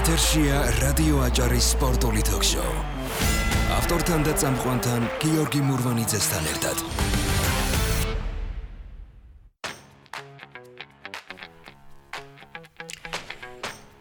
ეთერშია რადიო აჭარის სპორტული თოქ-შოუ. ავტორთან და წამყვანთან გიორგი მურვანიძესთან ერთად.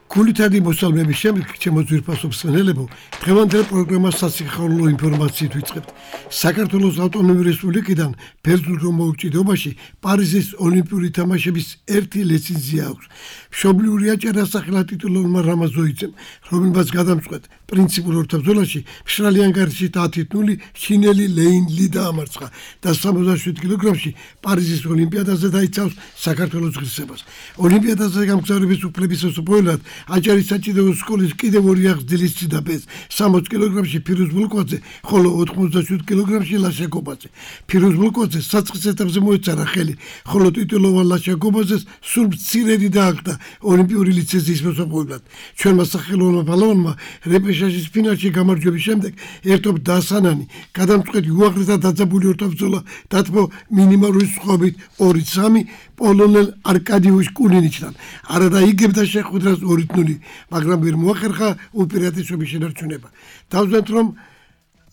გულითადი მოსალმების შემდეგ ჩემო ძვირფასო მსმენელებო, დღევანდელ პროგრამას სასიხარულო ინფორმაციით ვიწყებთ. საქართველოს ავტონომიური რესპუბლიკიდან ბერძნულ მოუჭიდობაში პარიზის ოლიმპიური თამაშების ერთი ლიცენზია აქვს. მშობლიური აჭარა სახელად ტიტულოვანმა რამაზოიძემ, რომელმაც გადამწყვეტ პრინციპულ ორთაბრძოლაში მშრალი ანგარიშში 10-0 ჩინელი ლეინ ალი დაამარცხა და 67 კილოგრამში პარიზის ოლიმპიადაზე დაიცავს საქართველოს ღირსებას. ოლიმპიადაზე გამგზავრების უფლების მოსაპოვებლად აჭარის საჭიდაო სკოლის კიდევ ორი აღზრდილის ციდაბეს 60 კილოგრამში ფირუზ ბულკვაძე, ხოლო 87 კილოგრამში ლაშა გობაძე. ფირუზ ბულკვაძე საწყის ეტაპზე მოეწარა ხელი, ხოლო ტიტულოვან ლაშა გობაძეს სულ მცირედი დააგდა ოლიმპიური ლიცენზიის მოსაპოვებლად. ჩვენმა სახელოვანმა ბალავანმა რეპეშაჟის ფინალში გამარჯვების შემდეგ ერთობ დასანანი გადამწყვეტი უაღრესად დაძაბული ორთაბრძოლა დათმო მინიმალური სხვაობით 2-3 პოლონელ არკადიუშ კულინიჩთან. არადა იგებდა შეხვედრას 2-0, მაგრამ ვერ მოახერხა უპირატესობის შენარჩუნება. დავზვენთ,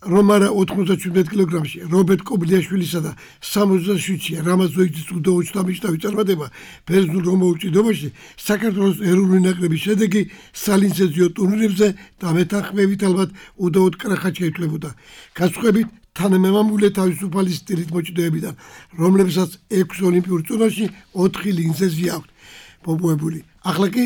რომ არა 97 კილოგრამში რობერტ კობლიაშვილისა და 67-ში რამაზოიძის უდაოჩდამიშტავი წარმატება ბერძნულ მოუჭიდობაში საქართველოს ეროვნული ნაკრების შედეგი სალინცეზიო ტურნირებზე და მეთანხმებით ალბათ უდაოდ კრახად შეითვლებოდა. განსხვავებით თანამემამულე თავისუფალი სტილით მოჭიდოებიდან, რომლებსაც 6 ოლიმპიურ წონაში 4 ლიცენზია აქვს მოპოვებული. ახლა კი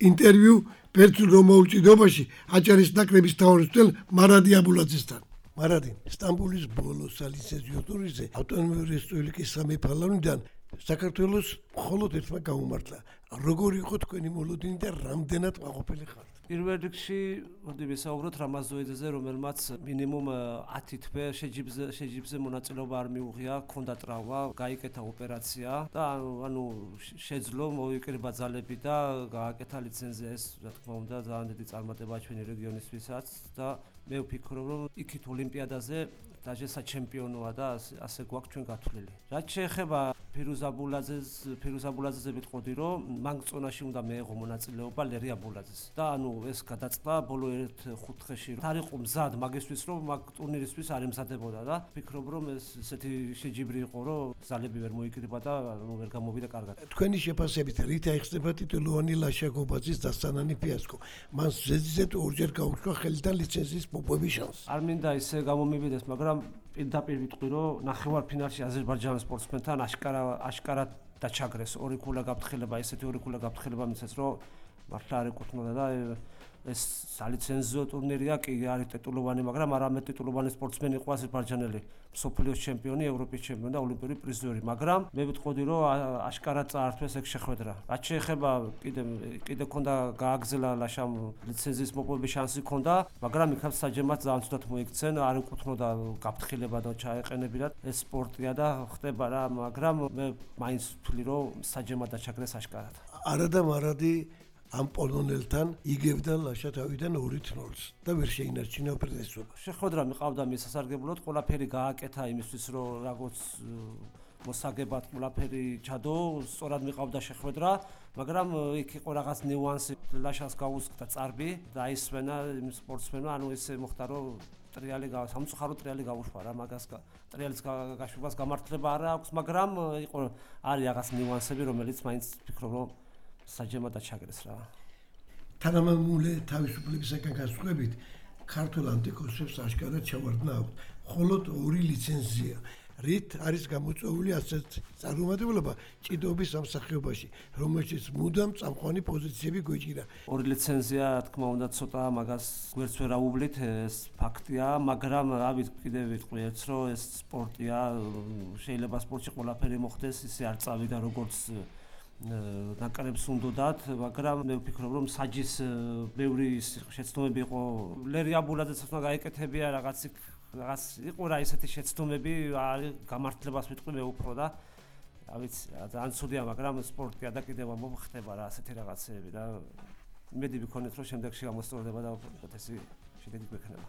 ინტერვიუ ბერძნულ მოუჭიდობაში აჭარის ნაკრების თავმჯდომარე მარადი აბულაძესთან. მარადი, სტამბოლის ბოლო სალიცენზიო ტურნირზე ავტონომიური რესპუბლიკის სამი ფალანიდან საქართველოს მხოლოდ ერთმა გაუმართლა. როგორი იყო თქვენი მოლოდინი და რამდენად მაყოფილი ხართ? პირველ რიგში მოდი ვისაუბროთ რამაზოიძეზე, რომელმაც მინიმუმ 10 თვე შეჯიბზე მონაწილეობა არ მიუღია, ჰქონდა ტრავმა, გაიკეთა ოპერაცია და ანუ შეძლო მოიკრიბა ძალები და გააკეთა ლიცენზია. ეს რა თქმა უნდა ძალიან დიდი წარმატებაა ჩვენი რეგიონისთვისაც და მე ვფიქრობ, რომ იქით ოლიმპიადაზე დაჟე საჩემპიონოა და ასე გვაქვს ჩვენ გათვლილი. რაც შეეხება ფირუზ აბულაძეზე ვიტყოდი, რომ მან წონაში უნდა მეეღო მონაწილეობა ლერი აბულაძეს. და ანუ ეს გადაწყდა ბოლო 1-5 დღეში. არ იყო მზად მაგისთვის, რომ მაგ ტურნირისთვის არ ემზადებოდა და ვფიქრობ, რომ ეს ესეთი შეჯიბრი იყო, რომ ზალები ვერ მოიკრიბა და ვერ გამოვიდა კარგად. თქვენი შეფასებით რით აიხსნება ტიტულოვანი ლაშა გობაძის დასანანი ფიასკო? მან ზედიზედ ორჯერ გაუჩნდა ხელიდან ლიცენზიის მოპოვების შანსი. არ მინდა ისე გამომივიდეს, მაგრამ პირდაპირ ვიტყვი, რომ ნახევარფინალში აზერბაიჯანის სპორტსმენთან აშკარად დაჩაგრეს ორი ქულა გაფრთხილება, ესეთი ორი ქულა გაფრთხილება მისცეს, რომ მართლა არ ეკუთვნოდა და ეს სალიცენზიო ტურნირია, კი არის ტიტულოვანი, მაგრამ არამედ ტიტულოვანი სპორტსმენი იყო აზერბაიჯანელი, მსოფლიოს ჩემპიონი, ევროპის ჩემპიონი და ოლიმპიური პრიზიორი, მაგრამ მე ვიტყოდი, რომ აშკარად წაართვეს ეგ შეხვედრა. რაც შეეხება კიდე ქონდა გააგზელა ლაშამ ლიცენზიის მოპოვების შანსი ქონდა, მაგრამ იქაც საჯემად ძალიან ცუდად მოიქცენ, არ ეკუთვნოდა გაფრთხილება და ჩაეყენებინათ. ეს სპორტია და ხდება რა, მაგრამ მე მაინც ვთვლი, რომ საჯემად დაჩაგრეს აშკარად. არადა მარადი ამ პოლონელთან იგებდა ლაშა თავიდან 2-0 და ვერ შეინარჩუნა უპირატესობა. შეხვედრა მიყავდა მის სასარგებლოდ, ყველაფერი გააკეთა იმისთვის, რომ როგორც მოსაგებად ყველაფერი ჩადო, სწორად მიყავდა შეხვედრა, მაგრამ იქ იყო რაღაც ნიუანსი, ლაშას გაუსკდა წარბი და აისვენა იმ სპორტსმენმა, ანუ ესე მოხდა, რომ სამწუხარო ტრიალი გაუშვა რა, მაგას ტრიალის გაშვებას გამართლება არ აქვს, მაგრამ არის რაღაც ნიუანსები, რომელიც მაინც ვფიქრობ, რომ საჯემად დაჩაგრეს რა. თანამემამულე თავისუფლებისაგან განსხვავებით, ქართულ ანტიკოსებს აშკარად ჩავარდნა აქვს მხოლოდ 2 ლიცენზია. რით არის გამოწვეული ასეთ წარმომადგენლობა ჭიდაობის სამსახიობაში, რომელშიც მუდამ წამყვანი პოზიციები გვეჭირა. 2 ლიცენზია, რა თქმა უნდა, ცოტა მაგას გვერდს ვერ აუვლით, ეს ფაქტია, მაგრამ რავით, კიდევ ვიტყვი ერთს, რომ ეს სპორტია, შეიძლება სპორტში ყველაფერი მოხდეს, ისე არ წავიდა როგორც ნაკრებს უნდათ, მაგრამ მე ვფიქრობ, რომ საჯის ბევრი შეცდომები იყო. ლერი აბულაძეც უნდა გაეკეთებია რაღაც იყო რა ესეთი შეცდომები, არის გამართლებას ვიტყვი მე უფრო და რა ვიცი, ძალიან ცუდია, მაგრამ სპორტია და კიდევ მომხდება რა ასეთი რაღაცეები და იმედი ვიქონეთ, რომ შემდეგში გამოსწორდება და ეს შედეგი გვექნება.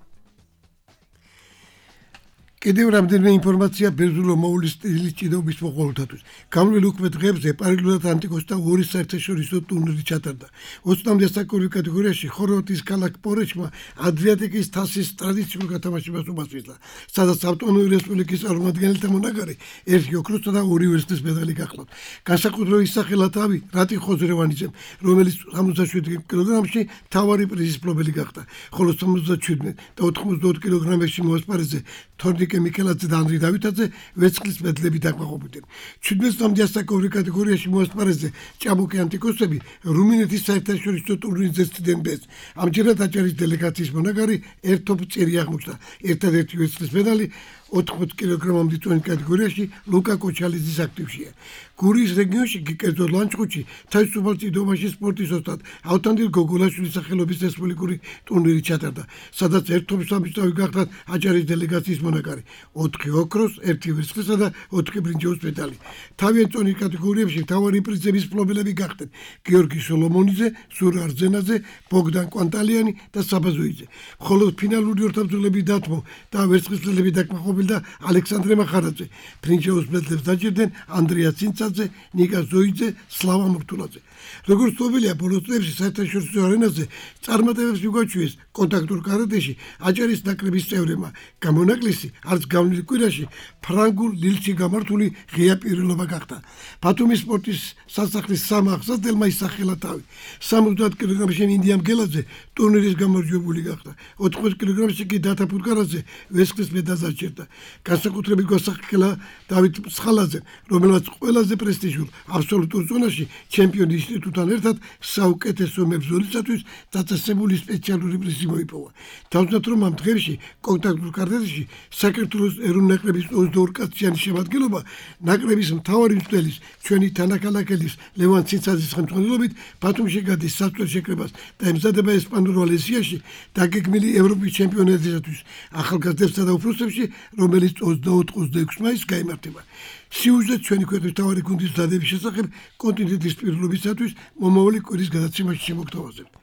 კიდევ რამდენიმე ინფორმაცია ბერძნულ მოვლის სტილის ჭიდაობის მოყოლთათვის. გავლილ უკვე დღეებზე პარალელურად ანტიკოს და ორი საერთაშორისო ტურნირი ჩატარდა. 20-მდე საკურვი კატეგორიაში ხორვატიის ქალაქ პორეჩმა ადრიატიკის თასის ტრადიციულ გათამაშებას უმასპინძლა, სადაც ავტონომიური რესპუბლიკის წარმომადგენელთა მონაგარი ერთი ოქროსა და ორი ვერცხლის მედალი გახლავთ. განსაკუთრებით ისახელა თავი რატი ხოზრევანიძემ, რომელიც 77 კილოგრამში მთავარი პრიზის მფლობელი გახდა, ხოლო 77 და 92 კილოგრამებში მოასპარეზე თორნიკე მიქელაძე და ანდრი დავითაძე ვერცხლის მედლები დაკმაყოფილდნენ. 17-მდე საკურვი კატეგორიაში მოასპარეზე ჭაბუკი ანტიკოსები რუმინეთის საერთაშორისო ტურნირზე ცდილდნენ ბეწ. ამჯერად აჭარის დელეგაციის მონაგარი ერთობ წერი აღმოჩნდა. ერთადერთი ვერცხლის მედალი 80 კილოგრამამდე წონის კატეგორიაში ლუკა კოჩალიძის აქტივშია. გურიის რეგიონში კერძოდ ლანჩხუთში თავისუფალ წიდობაში სპორტის ოსტატ ავთანდილ გოგოლაშვილის სახელობის რესპუბლიკური ტურნირი ჩატარდა, სადაც ერთობის სამწავი გახდა აჭარის დელეგაციის მონაგარი 4 ოქროს, 1 ვერცხლისა და 4 ბრინჯაოს მედალი. თავიანთ წონის კატეგორიებში მთავარი პრიზების მფლობელები გახდნენ გიორგი სოლომონიძე, სურა არძენაძე, ბოგდან კვანტალიანი და საბაზოიძე. ხოლო ფინალური ორთაბრძოლები დათმო და ვერცხლის მედლები დაკმაყოფილდა ალექსანდრე მახარაძე. ბრინჯაოს მედლებს დაჭერდნენ ანდრია ცინცაძე, ნიკა ზოიძე, სლავა მურთულაძე. როგორც ცნობილია, ბოლო წლებში საერთაშორისო არენაზე წარმატებებს მიგვაჩვიეს კონტაქტურ კარატეში აჭარის ნაკრების წევრებმა. გამონაკლისი არც გავლილ კვირაში ფრანგულ ლილში გამართული ღია პირილობა გახდა. ბათუმის სპორტის სასახლის სამახსოვდელმა ისახელა თავი. 70 კილოგრამში მინდია მგელაძე ტურნირის გამარჯვებული გახდა. 80 კილოგრამში კი დათა ფუტკარაძე ვერცხლის მედალს აჩერდა. განსაკუთრებით გვასახელა დავით მსხალაძე, რომელმაც ყველაზე პრესტიჟულ აბსოლუტურ ზონაში ჩემპიონის ინსტიტუტთან ერთად საუკეთესო მებრძოლისათვის დაწესებული სპეციალური პრიზი მოიპოვა. თავზნად რომ ამ დღეებში კონტაქტურ კარატეში საქართველოს ეროვნული ნაკრების 22 კაციანი შემადგენლობა ნაკრების მთავარი მცველის ჩვენი თანაქალაქელის ლევან ცინცაძის ხელმძღვანელობით ბათუმში გადის საწვრილ შეკრებას და ემზადება ესპანურ ვალენსიაში დაგეგმილი ევროპის ჩემპიონატისათვის ახალგაზრდებსა და უფროსებში, რომელიც 24-26 მაისს გაიმართება. სიუჟეტი ჩვენი ქვეყნის მთავარი გუნდის დადების შესახებ კონტინენტის პირობისათვის მომავალი კვირის გადაცემაში შემოგთავაზებთ.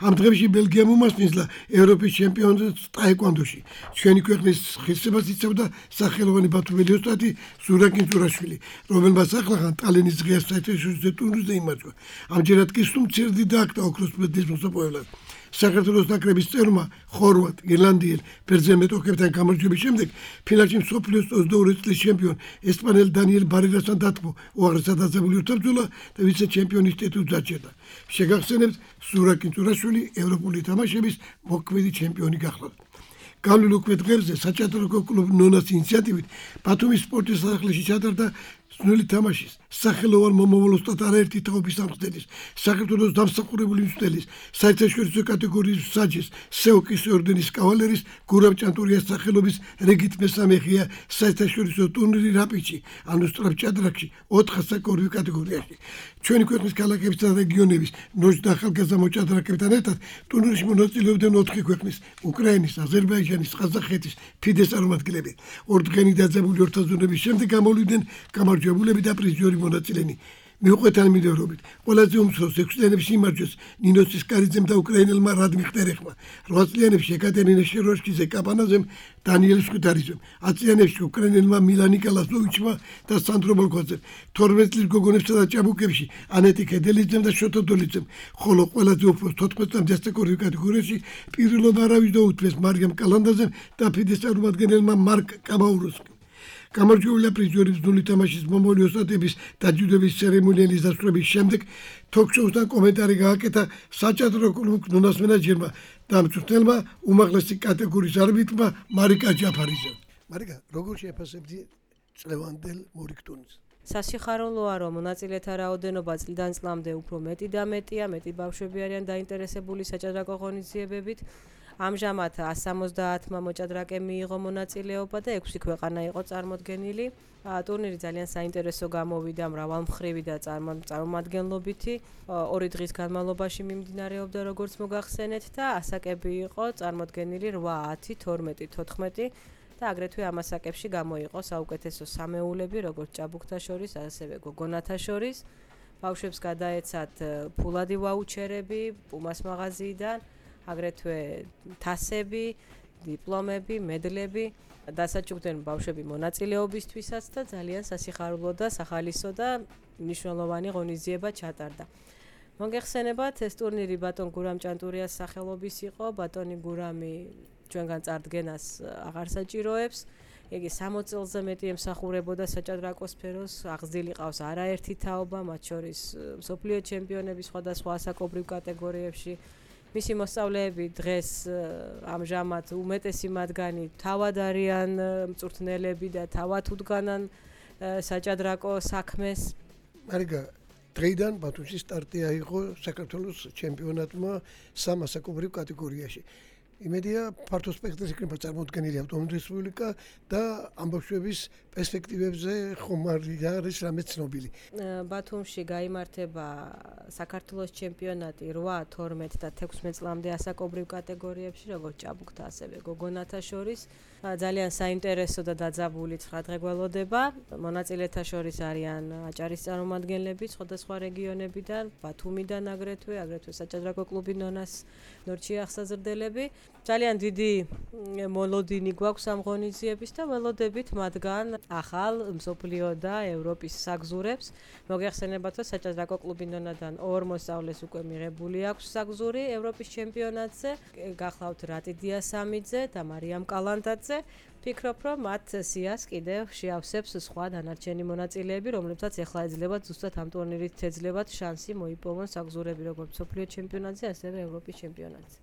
ამ დღეებში ბელგიამ უმასპინძლა ევროპის ჩემპიონატს ტაეკვანდოში. ჩვენი ქვეყნის ღირსებას იცავდა სახელოვანი ბათუმელი ოსტატი ზურაკინ ზურაშვილი, რომელმაც ახლახან ტალენის ღია საერთაშორისო ტურნირზე იმარჯვა. ამჯერად კი სუმცირდი დააკდა ოქროს მედლის მოსაპოვებლად. საქართველოს ნაკრების წევრმა ხორვატ, ირლანდიელ, ბერძენ მეტოქებთან გამარჯვების შემდეგ ფინალში მსოფლიოს 22 წლის ჩემპიონ ესპანელ დანიელ ბარერასთან დათმო უაღრესად დაძაბული ორთაბრძოლა და ვიცე-ჩემპიონის ტიტულს დაჭერდა. შეგახსენებთ, ზურაკინ ზურაშვილი ევროპული თამაშების მოქმედი ჩემპიონი გახლავთ. გავლილ უკვე დღეებზე საჭადრაკო კლუბ ნონას ინიციატივით ბათუმის სპორტის სასახლეში ჩატარდა სნული თამაშის სახელოვან მომავალ ოსტატ არაერთი თაობის სამხდელის, საქართველოს დამსახურებული მცველის, საერთაშორისო კატეგორიის საჯის, სეოკის ორდენის კავალერის, გურამ ჭანტურიას სახელობის რეგით მესამე ღია საერთაშორისო ტურნირი რაპიჩი, ანუ სწრაფჭადრაკში 4 საკურვი კატეგორიაში. ჩვენი ქვეყნის ქალაქებისა და რეგიონების ნოჯ და ახალგაზრდა მოჭადრაკებთან ერთად ტურნირში მონაწილეობდნენ 4 ქვეყნის, უკრაინის, აზერბაიჯანის, ყაზახეთის ფიდეს წარმომადგენლები. ორდღიანი დაძაბული ორთაბრძოლების შემდეგ გამოვიდნენ გამარჯვებულები და პრიზიორი მონაწილენი. მიუყვეთ მიდევრობით, ყველაზე უმცროს 6 წლიანებში იმარჯვეს ნინოს კარიძემ და უკრაინელმა რადმი ხტერეხმა, 8 წლიანებში ეკატერინე შეროშკიძე კაპანაძემ, დანიელ სკუტარიძემ, 10 წლიანებში უკრაინელმა მილანი კალასნოვიჩმა და სანდრო მოლკოძემ, 12 წლის გოგონებსა და ჭაბუკებში ანეტი ქედელიძემ და შოთო დოლიძემ, ხოლო ყველაზე უფროს 14-მდე საკურვი კატეგორიაში პირილობა არავის დაუთმეს მარიამ კალანდაძემ და ფიდეს წარმომადგენელმა მარკ კაბაუროსკიმ. გამარჯვებული პრიზიორი სნული თამაშის მომავალი ოსტატების დაჯილდოების ცერემონიალის დასრულების შემდეგ თოქ-შოუსთან კომენტარი გააკეთა საჭადრაკო კლუბ ნონას მენეჯერმა და მწვრთნელმა უმაღლესი კატეგორიის არბიტრმა მარიკა ჯაფარიძემ. მარიკა, როგორ შეაფასებდი წლევანდელ მორიგტონს? სასიხარულოა, რომ მონაწილეთა რაოდენობა წლიდან წლამდე უფრო მეტი და მეტია, მეტი ბავშვები არიან დაინტერესებული საჭადრაკო ღონისძიებებით. ამჟამად 170 მოჭადრაკემ მიიღო მონაწილეობა და 6 ქვეყანა იყო წარმოდგენილი. ტურნირი ძალიან საინტერესო გამოვიდა, მრავალმხრივი და წარმომადგენლობითი. 2 დღის განმავლობაში მიმდინარეობდა, როგორც მოგახსენეთ, და ასაკები იყო წარმოდგენილი 8, 10, 12, 14 და აგრეთვე ამ ასაკებში გამოიყო საუკეთესო სამეულები, როგორც ჭაბუკთა შორის, ასევე გოგონათა შორის. ბავშვებს გადაეცათ ფულადი ვაუჩერები პუმას მაღაზიიდან, აგრეთვე თასები დიპლომები, მედლები დასაჩუქდნენ ბავშვები მონაწილეობისთვისაც და ძალიან სასიხარულო და სახალისო და მნიშვნელოვანი ღონისძიება ჩატარდა. მოგეხსენებათ, ეს ტურნირი ბატონ გურამ ჭანტურიას სახელობის იყო. ბატონი გურამი ჩვენგან წარდგენას აღარ საჭიროებს. იგი 60 წელზე მეტი ემსახურებოდა საჭადრაკო სფეროს, აღზრდილი ყავს არაერთი თაობა, მათ შორის მსოფლიო ჩემპიონები სხვადასხვა ასაკობრივ კატეგორიებში. მისი მოსწავლეები დღეს ამჟამად უმეტესი მათგანი თავად არიან მწვრთნელები და თავად უდგანან საჭადრაკო საქმეს. მარიგა დღეიდან ბათუმში სტარტი აიღო საქართველოს ჩემპიონატმა სამ ასაკობრივ კატეგორიაში. იმედია ფართო სპექტრის იქნება წარმოდგენილი ავტონომიური რესპუბლიკა და ამბავშვების პერსპექტივებზე ხომ არის რამე ცნობილი. ბათუმში გაიმართება საქართველოს ჩემპიონატი 8, 12 და 16 წლამდე ასაკობრივ კატეგორიებში, როგორც ჭაბუკთა, ასევე გოგონათა შორის. ძალიან საინტერესო და დაძაბული 9 დღე გველოდება. მონაწილეთა შორის არიან აჭარის წარმომადგენლები სხვადასხვა რეგიონებიდან, ბათუმიდან აგრეთვე საჭადრაკო კლუბი ნონას ნორჩი აღსაზრდელები. ძალიან დიდი მოლოდინი გვაქვს ამ ღონისძიების და ველოდებით მათგან ახალ მსოფლიო და ევროპის საგზურებს. მოგეხსენებათ, რომ საჭადრაკო კლუბი ნონადან 2 მოსწავლეს უკვე მიღებული აქვს საგზური ევროპის ჩემპიონატზე. გახლავთ რატი დიასამიძე და მარიამ კალანდაძე. ვფიქრობ, რომ მათ სიას კიდევ შეავსებს სხვა დანარჩენი მონაწილეები, რომლებსაც ახლა ეძლებათ ზუსტად ამ ტურნირით ეძლებათ შანსი მოიპოვონ საგზურები როგორც მსოფლიო ჩემპიონატზე, ასევე ევროპის ჩემპიონატზე.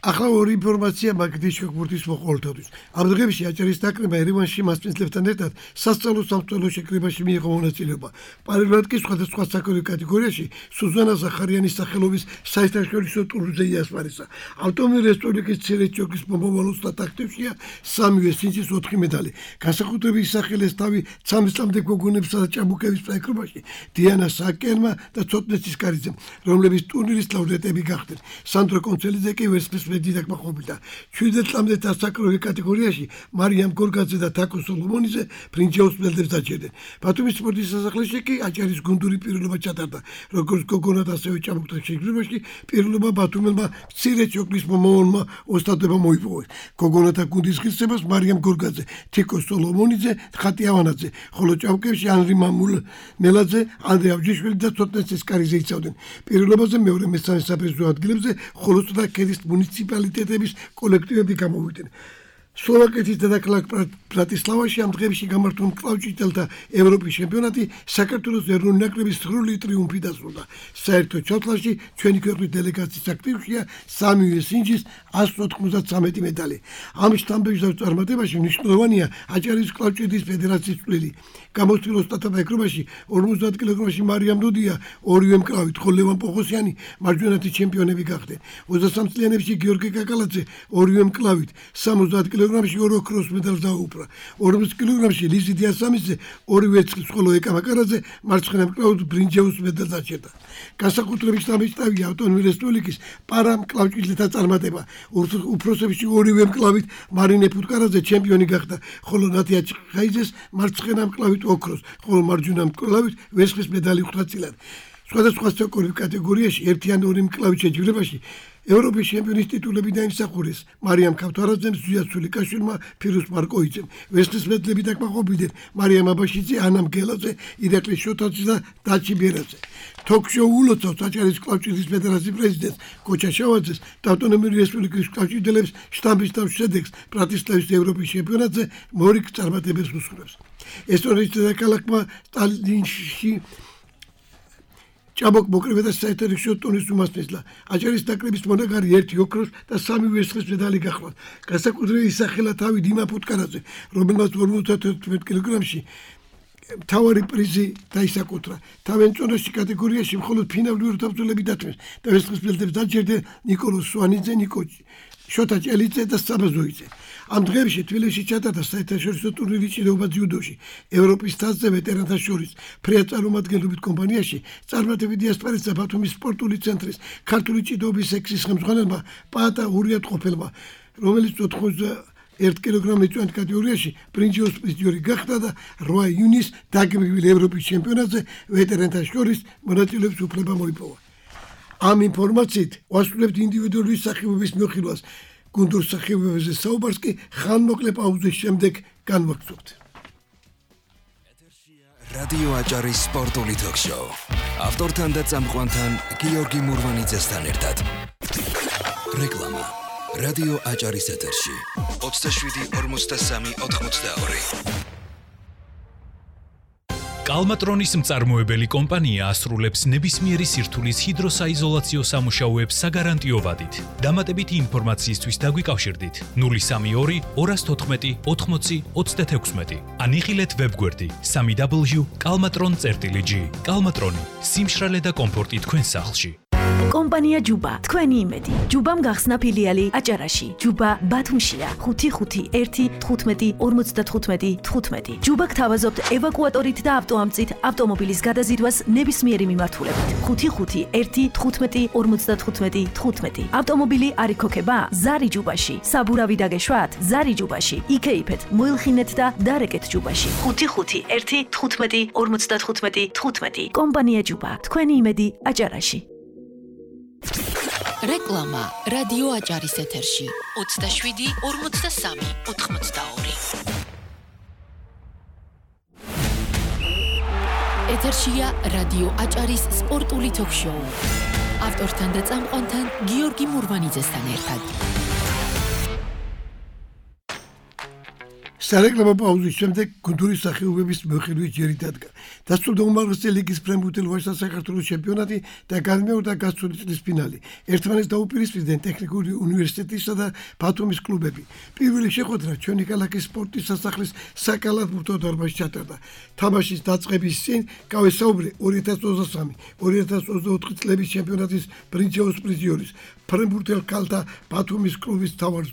ახლა ორი ინფორმაცია მაგდის შეგვიძლია მოყოლთათვის. ამ დღეებში აჭარის ნაკრებმა ერევანში მასპინძლებთან ერთად სასწავლო შეკრებაში მიიღო მონაწილეობა. პარალელურად კი სხვადასხვა საკოლექციო კატეგორიაში სუზანა ზახარიანის სახელობის საერთაშორისო ტურნირზე იასპარეზა. ავტომობილი რესპუბლიკის ცერეჩოკის მომავალ აქტივშია 3 სინჯის 4 медали. განსაკუთრებით ისახელეს თავი 13 წლამდე გოგონებსა და ჭაბუკების პროექტში დიანა საკერმა და ცოტნეცის კარიძემ, რომლებიც ტურნირის ლაურეატები გახდნენ. სანდრო კონცელიძე კი ვერცხლის მედალით მოხმობდა. 17 წლამდე ასაკობრივ კატეგორიაში მარიამ გორგაძე და თაკო სოლომონიძე პრინჩეოს მედლებს დაჭერდნენ. ბათუმის სპორტის სასახლეში კი აჭარის გუნდური პირველობა ჩატარდა. როგორც გოგონათა, ასევე ჭაბუკთა შეკრებაში პირველობა ბათუმელმა მცირე ჩოქლის მომავალმა ოსტატებმა მოიპოვეს. გოგონათა გუნდის ღირსებას მარიამ გორგაძე, თიკო სოლომონიძე, ხატი ავანაძე, ხოლო ჭაბუკებში ანრი მამულნელაძე, ანდრე ავჯიშვილი და ცოტნეცის კარიძე იცავდნენ. პირველობაზე მეორე მესამე საპრიზო ადგილებზე ხოლო სლოვაკეთის მუნიციპალიტეტების კოლექტივები გამოვიდნენ. სლოვაკეთის დედაქალაქ ბრატისლავაში ამ დღეებში გამართულ კლავჭიდელთა ევროპის ჩემპიონატი საქართველოს ეროვნული ნაკრების სრული ტრიუმფი დასრულდა. საერთო ჩათვლაში ჩვენი ქვეყნის დელეგაციის აქტივშია 3 სინჯის 193 медали. ამ შტამპების წარმატებაში მნიშვნელოვანია აჭარის კლავჭიდის ფედერაციის წვლილი. გამოცდილ ოსტატთა ეკრობაში 50 კილოგრამში მარიამ დუდია 2 მკლავით, ხოლო ლევან პოხოსიანი მარჯვენათი ჩემპიონები გახდნენ. 23 წლიანებში გიორგი კაკალაძე 2 მკლავით, 70 კილოგრამში 2 ოქროს მედალს დაუპყრა. 40 კილოგრამში ლიზი დიასამიძე 2 ვერცხლის, ხოლო ეკა მაკარაძე მარცხენა მკლავით ბრინჯაოს მედალს დაჭერდა. განსაკუთრებით შტაბი ავტონომიური რესპუბლიკის პარა მკლავჭიდელთა წარმატება. უფროსებში 2 მკლავით მარინე ფუტკარაძე ჩემპიონი გახდა, ხოლო ნათია ჩხაიძეს მარცხენა მკლავით ოქროს, ხოლო მარჯვენა მკლავით ვერცხლის მედალი ხვდა წილად. სხვადასხვა საკოლექციო კატეგორიაში ერთი ან ორი მკლავით შეჯიბრებაში ევროპის ჩემპიონის ტიტულები დაიმსახურეს მარიამ ქავთარაძემ, ზვია სულიკაშვილმა, ფირუს მარკოიძემ. ვერცხლის მედლები დაკმაყოფილდნენ მარიამ აბაშიძე, ანა მგელაძე, ირაკლი შოთაძე და დაჩი ბერაძე. თოქ-შოუ ულოცავს აჭარის კლავჭიდის ფედერაციის პრეზიდენტს კოჩა შავაძეს და ავტონომიური რესპუბლიკის კლავჭიდელებს შტამპის თავის შედეგს ბრატისლავის ევროპის ჩემპიონატზე მორიგ წარმატებებს უსურვებს. ესტონეთის დედაქალაქმა სტალინში ჭაბუკ მოკრიბე და საერთაშორისო ტურნირის უმასპინძლა. აჭარის ნაკრების მონაგარი 1 ოქროს და 3 ვერცხლის მედალი გახლავთ. განსაკუთრებით ისახელა თავი დიმა ფუტკარაძე, რომელმაც 54 კილოგრამში მთავარი პრიზი დაისაკუთრა. თავენწონაში კატეგორიაში მხოლოდ ფინალური თავწულები დათმეს და ვერცხლის მედლებს დაჭერდნენ ნიკოლოზ სვანიძე, ნიკო შოთა ჭელიძე და საბაზოიძე. ამ დღეებში თბილისში ჩატარდა საერთაშორისო ტურნირი ჭიდაობა ძიუდოში. ევროპის თასზე ვეტერანთა შორის ფრეა წარმომადგენლობით კომპანიაში წარმატებით დიასპარეზა ბათუმის სპორტული ცენტრის ქართული ჭიდაობის სექციის ხელმძღვანელმა პაატა ურიატყოფელმა, რომელიც 91 კილოგრამის წვენით კატეგორიაში ბრინჯაოს პრიზიორი გახდა და 8 იუნის დაგეგმილ ევროპის ჩემპიონატზე ვეტერანთა შორის მონაწილეობის უფლება მოიპოვა. ამ ინფორმაციით ვასრულებთ ინდივიდუალური სახეობების მოხილვას. გუნდურ სახეობებზე საუბარს კი ხანმოკლე პაუზის შემდეგ განვაგრძობთ. რადიო აჭარის სპორტული თოქ-შოუ. ავტორთან და წამყვანთან გიორგი მურვანიძესთან ერთად. რეკლამა. რადიო აჭარის ეთერში 27-43-82. კალმატრონის მწარმოებელი კომპანია ასრულებს ნებისმიერი სირთულის ჰიდროსაიზოლაციო სამუშაოებს საგარანტიო ვადით. დამატებითი ინფორმაციისთვის დაგვიკავშირდით 032 214 80 36 ან იხილეთ ვებგვერდი www.kalmatron.gr. კალმატრონი, სიმშრალე და კომფორტი თქვენ სახლში. კომპანია ჯუბა, თქვენი იმედი. ჯუბამ გახსნა ფილიალი აჭარაში. ჯუბა ბათუმშია. 5511555 ჯუბა გთავაზობთ ევაკუატორით და ავტოამწით ავტომობილის გადაზიდვას ნებისმიერი მიმართულებით. 5511555 ავტომობილი არ იქოქება? ზარი ჯუბაში. საბურავი დაგეშვათ? ზარი ჯუბაში. იქეიფეთ, მოილხინეთ და დარეკეთ ჯუბაში. 5511555 კომპანია ჯუბა, თქვენი იმედი აჭარაში. რეკლამა რადიო აჭარის ეთერში 27-43-82. ეთერშია რადიო აჭარის სპორტული თოქ-შოუ. ავტორთან და წამყვანთან გიორგი მურვანიძესთან ერთად. სარეკლამო პაუზის შემდეგ გუნდური სახეობების მოხილვის ჯერი დადგა. დასრულდა უმაღლესი ლიგის ფრენბურთელ ვაჟთა საქართველოს ჩემპიონატი და განმეორდა გასული წლის ფინალი. ერთმანეთს დაუპირისპირდნენ ტექნიკური უნივერსიტეტისა და ბათუმის კლუბები. პირველი შეხვედრა ჩვენი ქალაქის სპორტის სასახლის საკალათბურთო დარბაზში ჩატარდა. თამაშის დაწყების წინ გავესაუბრე 2023-2024 წლების ჩემპიონატის ბრინჯაოს პრიზიორის ფრენბურთელ ქალთა ბათუმის კლუბის მთავარ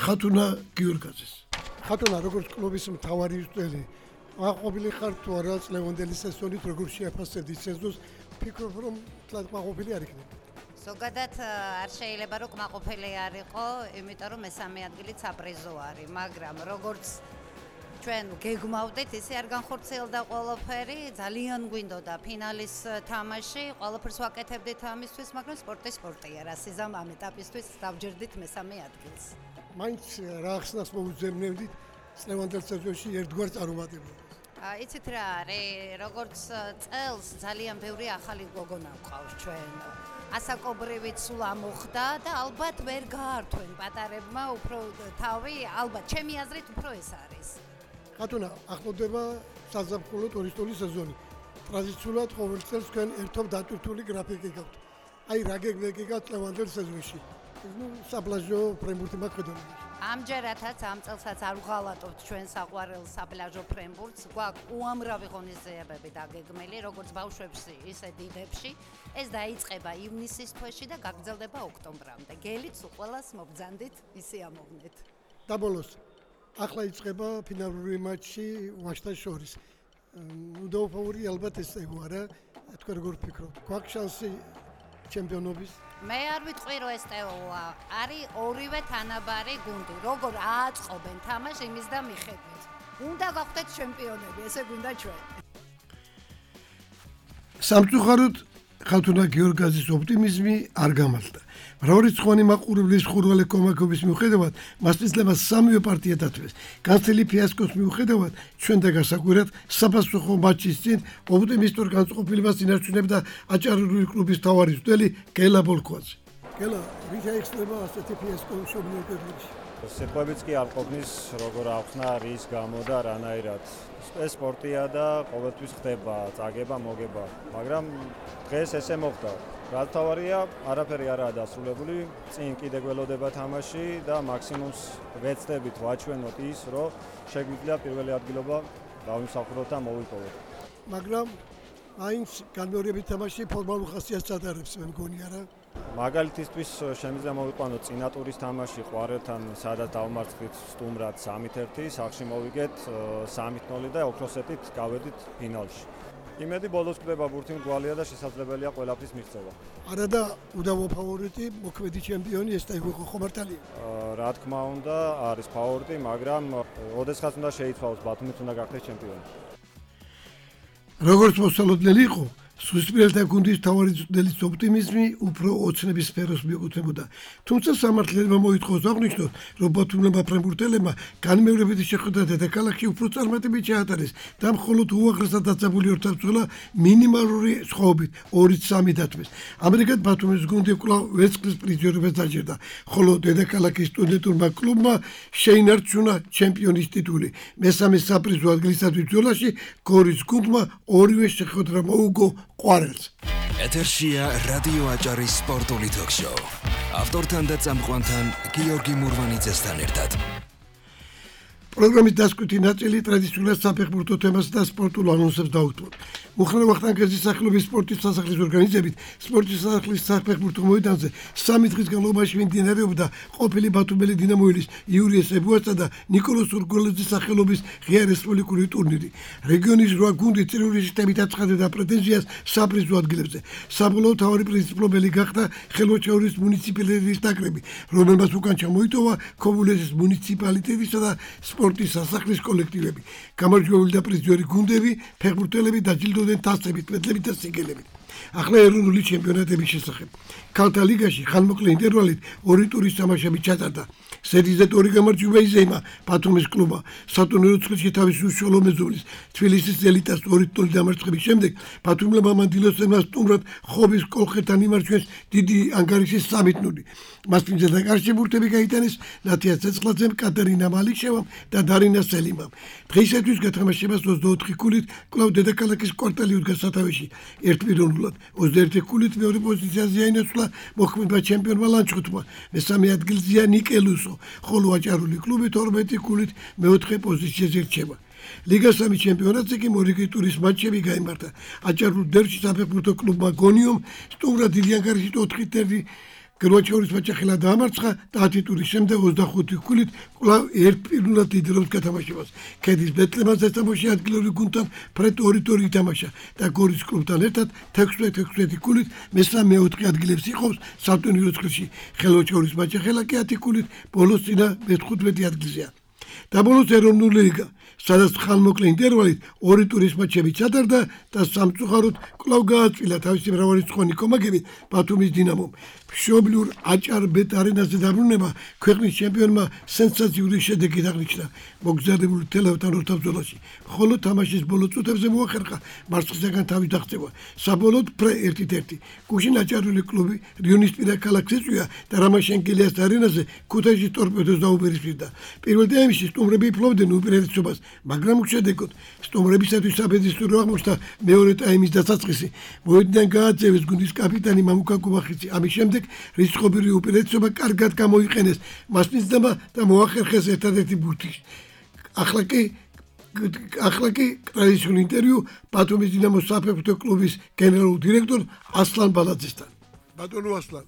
ხათუნა გიორგაძეს. ხათუნა, როგორც კლუბის მთავარი მწვრთნელი, აყვობილი ხარ თუ არა წლევანდელი სეზონით, როგორ შეაფასებდი სეზონს? ფიქრობ, რომ თლად მაყოფილი არ იქნება? ზოგადად არ შეიძლება რომ მაყოფილი არ იყო, იმიტომ რომ მესამე ადგილით საპრიზო არის, მაგრამ როგორც ჩვენ გეგმავდით, ისე არ განხორციელდა ყველაფერი, ძალიან გვინდოდა ფინალის თამაში, ყველაფერს ვაკეთებდით ამისთვის, მაგრამ სპორტია, რა სიზამ ამ ეტაპისთვის დავჯერდით მესამე ადგილს. მაინც რა ახსნას მოუძებნებდით წლევანდელ სეზონში ერთგვარ წარუმატებლობას? იცით რა არის, როგორც წელს ძალიან ბევრი ახალი გოგონა გვყავს ჩვენ. ასაკობრივით სულ ამოხდა და ალბათ ვერ გაართვენ პატარებმა უფრო თავი, ალბათ ჩემი აზრით უფრო ეს არის. ხათუნა, ახლოვდება საზაფხულო ტურისტული სეზონი. ტრადიციულად ყოველ წელს თქვენ ერთობ დატვირთული გრაფიკი გაქვთ. აი რა გეგმებთ წლევანდელ სეზონში? საპლაჟო ფრენბურთი მაქვს. ამჯერადაც ამ წელსაც არ ვღალატობთ ჩვენ საყვარელ საპლაჟო ფრენბურთს, გვაქვს უამრავი ღონისძიებები დაგეგმილი, როგორც ბავშვებში, ისე დიდებში. ეს დაიწყება ივნისის თვეში და გაგრძელდება ოქტომბრამდე. გელით სულ ყველას მობრძანდით, ისე ამოვნეთ. და ბოლოს, ახლა იწყება ფინალური მატჩი ვაჟთა შორის. უდაუფოური ალბათ ესეო არა, თქვენ როგორ ფიქრობთ? გვაქვს შანსი ჩემპიონობის? მე არ ვიტყვი რომ ეს ტეოა, არის ორივე თანაბარი გუნდი. როგორ ააწყობენ თამაშს იმის და მიხედვით. უნდა გავხდეთ ჩემპიონები, ესე გვინდა ჩვენ. სამწუხაროდ ხათუნა გიორგაძის ოპტიმიზმი არ გამართა. მრავალრიცხოვანი მაყურებლის ხურვალე კომაკობის მიუხედავად, მასპინძლება სამივე პარტია დათვეს. განცდილი ფიასკოს მიუხედავად, ჩვენ და გასაკვირად საფასუხო მატჩის წინ ოპტიმისტურ განწყობილებას ინარჩუნებდა აჭარული კლუბის მთავარი მწვრთნელი გელა ბოლქვაძე. გელა, ვის აიხსნება ასეთი ფიასკო მშობლიურ კედლებში? სიტყვებიც კი არ ყოფნის, როგორ აღხსნა რის გამო და რანაირად. ეს სპორტია და ყოველთვის ხდება წაგება, მოგება, მაგრამ დღეს ესე მოხდა. რა თავარია, არაფერი არაა დასრულებული, წინ კიდე გველოდება თამაში და მაქსიმუმს ვეცდებით ვაჩვენოთ ის, რომ შეგვიძლია პირველი ადგილობა დავიმსახუროთ და მოვიპოვოთ. მაგრამ მაინც განმეორებით თამაში ფორმალურ ხასიათს ატარებს, მე მგონი არა? მაგალითისთვის შემიძლია მოვიყვანოთ წინა ტურის თამაში ყვარელთან, სადაც დავმარცხდით სტუმრად 3-1, სახლში მოვიგეთ 3-0 და ოქროსეთით გავედით ფინალში. იმედი ბოლოს ხდება ბურთი მგვალია და შესაძლებელია ყველაფრის მიღწევა. არა და უდავო ფავორიტი, მოქმედი ჩემპიონი ეს და იყო ხომართალია. რა თქმა უნდა, არის ფავორიტი, მაგრამ ოდესღაც უნდა შეიცვალოს, ბათუმით უნდა გახდეს ჩემპიონი. როგორც მოსალოდნელი იყო, სუსპირელთა გუნდის თავარი წვრთნელის ოპტიმიზმი უფრო ოცნების სფეროს მიეკუთვნებოდა. თუმცა სამართლებმა მოითხოვს აღნიშნოს, რომ ბათუმელებმა ფრენბურთელებმა განმეორებითი შეხვედრა დედაქალაქში უფრო წარმატებით ჩაატარეს და მხოლოდ უაღრესად დაძაბული ორთაბრძოლა მინიმალური სხვაობით 2-3 დათმეს. ამრიგად ბათუმის გუნდი კვლავ ვერცხლის პრიზიორობას დაჯერდა, ხოლო დედაქალაქის სტუდენტურმა კლუბმა შეინარჩუნა ჩემპიონის ტიტული. მესამე საპრიზო ადგილისათვის ბრძოლაში გორის გუნდმა ორივე შეხვედრა მოუგო ყვარელს. ეთერშია რადიო აჭარის სპორტული თოქ-შოუ. ავტორთან და წამყვანთან გიორგი მურვანიძესთან ერთად. პროგრამის დასკვნითი ნაწილი ტრადიციულად საფეხბურთო თემას და სპორტულ ანონსებს დაუთმობ. მუხრან ვახტანგელის სახელობის სპორტის სასახლის ორგანიზებით სპორტის სასახლის საფეხბურთო მოედანზე 3 დღის განმავლობაში მიმდინარეობდა ყოფილი ბათუმელი დინამოელის იური ესებუასა და ნიკოლოზ სურგოლეძის სახელობის ღია რესპუბლიკური ტურნირი. რეგიონის 8 გუნდი წრიული სისტემით აცხადებდა პრეტენზიას საპრიზო ადგილებზე. საბოლოო თავარი პრინციპლობელი გახდა ხელვაჩაურის მუნიციპალიტეტის ნაკრები, რომელმაც უკან ჩამოიტოვა ქობულეთის მუნიციპალიტეტისა და სპორტის სასახლის კოლექტივები. გამარჯვებული და პრიზიორი გუნდები, ფეხბურთელები დაჯილდოვდნენ თასებით, მედლებით და სიგელებით. ახლა ეროვნული ჩემპიონატების შესახებ. ქალთა ლიგაში ხანმოკლე ინტერვალით 2 ტურის თამაშები ჩატარდა. სედიზეთ 2 გამარჯვება იზეიმა ბათუმის კლუბმა. სატურნირო ცხრილში თავისი უშუალო მეზობლის თბილისის ელიტას 2-0 დამარცხების შემდეგ ბათუმელებმა მანდილოსებმა სტუმრად ხობის კოლხეთთან იმარჯვეს დიდი ანგარიშის 3-0. მასპინძელ და კარში ბურთები გაიტანეს ნათია ცეცხლაძემ, კატერინა მალიშევამ და დარინა სელიმამ. დღეისათვის გათამაშებას 24 ქულით კვლავ დედაქალაქის კვარტალი უდგა სათავეში 1-0. 21 ქულით მეორე პოზიციაზე აინაცვლა მოქმედმა ჩემპიონმა ლანჩხუთმა. მესამე ადგილზეა ნიკელუსო, ხოლო აჭარული კლუბი 12 ქულით მეოთხე პოზიციაზე რჩება. ლიგას 3 ჩემპიონატზე კი მორიგი ტურის მატჩები გაიმართა. აჭარულ დერბში საფეხბურთო კლუბმა გონიომ სტუმრად დიდი ანგარიშით 4-1 გროჩეურის მაჩახელა დაამარცხა და 10 ტურის შემდეგ 25 ქულით კვლავ 1-0 დიდრობს გათამაშებას. ქედის ბეტლემანს დასამოში ადგილობრივ გუნდთან ფრედ 2-2 ითამაშა და გორის კლუბთან ერთად 16 ქულით მესამე-4 ადგილებს იყოფს სატურნირო ცხრილში. ხელვაჩაურის მაჩახელა კი 10 ქულით ბოლოს წინა მე-15 ადგილზეა. და ბოლოს ეროვნული ლიგა, სადაც ხანმოკლე ინტერვალით 2 ტურის მატჩები ჩატარდა და სამწუხაროდ კვლავ გააწვილა თავისი მრავალრიცხოვანი კომაგებით ბათუმის დინამომ. მშობლიურ აჭარ ბეტ არენაზე დაბრუნება ქვეყნის ჩემპიონმა სენსაციური შედეგი აღნიშნა მოგზაურებული თელავთან ორთაბრძოლაში, ხოლო თამაშის ბოლო წუთებზე მოახერხა მარცხისაგან თავის დაღწევა. საბოლოოდ ფრე 1-1. გუშინ აჭარული კლუბი რიონისპირა ქალაქს ეწვია და რამაშენკელიას არენაზე ქუთაისის ტორპედოს დაუპირისპირდა. პირველ ტაიმში სტუმრები ფლობდნენ უპირატესობას, მაგრამ უშედეგოდ სტუმრებისათვის საფედისტრო აღმოჩნდა მეორე ტაიმის დასაწყისი. მოედნიდან გააძევეს გუნდის კაპიტანი მამუკა კუბახიძე. ამის შემდეგ რისკობრივი უპირატესობა კარგად გამოიყენეს მასპინძლებმა და მოახერხეს ერთადერთი ბურთი. ახლა კი ტრადიციული ინტერვიუ ბათუმის დინამოს საფეხბურთო კლუბის გენერალურ დირექტორ ასლან ბალაძესთან. ბატონო ასლან,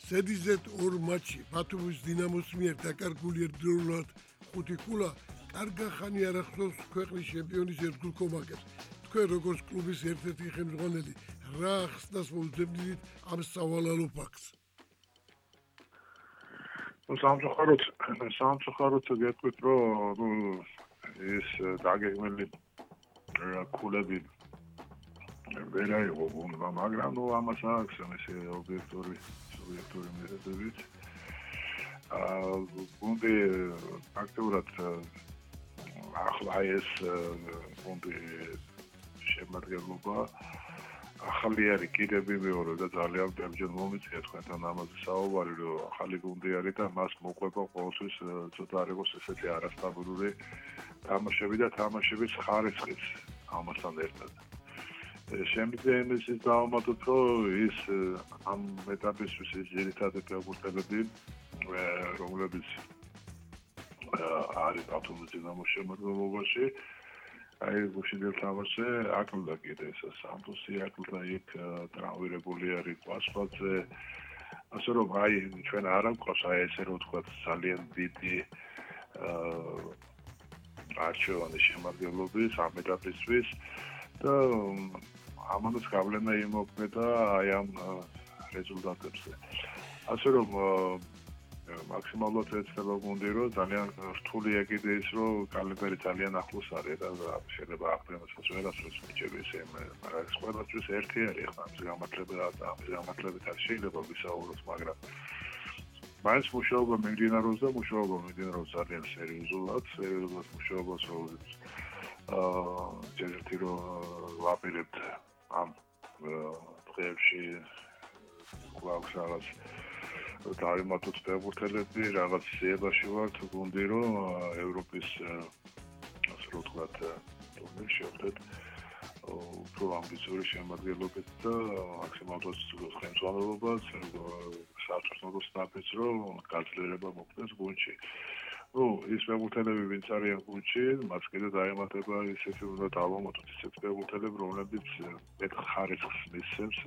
სედიზეთ 2 მატჩი ბათუმის დინამოს მიერ დაკარგული ერთდროულად 5 ქულა კარგა ხანი არ ახსოვს ქვეყნის ჩემპიონის ერთგულ კომაგებს. თქვენ როგორც კლუბის ერთ-ერთი ხელმძღვანელი რა ახსნას მოუძებნით ამ სავალალო ფაქტს? სამწუხაროდ გეტყვით, რომ ეს დაგეგმილი ქულები ვერ აიღო გუნდმა, მაგრამ ამას აქვს ესე ობიექტური მიზეზებით. გუნდი აქტიურად ახლა ეს გუნდი შემადგენლობა ახალი არის კიდევ მეორე და ძალიან ბევრჯერ მომიწია თქვენთან ამაზე საუბარი, რომ ახალი გუნდი არის და მას მოყვება ყოველთვის ცოტა არ იყოს ესეთი არასტაბილური თამაშები და თამაშების ხარისხიც ამასთან ერთად. შემდგომ ის დავამატოთ, რომ ის ამ ეტაპისთვის ის ძირითადი ფეხბურთელები, რომლებიც არის ბათუმის დინამოს შემადგენლობაში, აი გუშინდელ თამაშზე აკლდა კიდე ეს სამთუსი აკლდა იქ ტრავმირებული არის კვასპაძე. ასე რომ აი ჩვენ არ გვყავს აი ესე რომ ვთქვათ ძალიან დიდი არჩევანი შემადგენლობის ამ ეტაპისთვის და ამანაც გავლენა იმოქმედა აი ამ რეზულტატებზე. ასე რომ მაქსიმალურად ეცდება გუნდი, რომ ძალიან რთულია კიდე ის, რომ კალენდარი ძალიან ახლოს არის და შეიძლება აპრილსაც ვერასდროს მიჭირდეს ესე, მაგრამ ეს ყველასთვის ერთი არის ხა ამის გამართლებით არ შეიძლება ვისაუბროთ, მაგრამ მაინც მუშაობა მიმდინარეობს და მუშაობა მიმდინარეობს ძალიან სერიოზულად მუშაობას ჯერჯერობით რომ ვაპირებთ ამ დღეებში გვაქვს რაღაც დავიმატოთ ფეხბურთელები, რაღაც სიებაში ვართ გუნდი რომ ევროპის ასე რომ ვთქვათ ტურნირში შევხვდეთ უფრო ამბიციური შემადგენლობით და მაქსიმალურად ხელმძღვანელობას საერთაშორისო სტაფიც რომ გაძლიერება მოხდეს გუნდში. ის ფეხბურთელები ვინც არიან გუნდში, მას კიდე დაემატება ისეთი უნდა დავამატოთ ისეთი ფეხბურთელები, რომლებიც მეტ ხარისხს მისცემს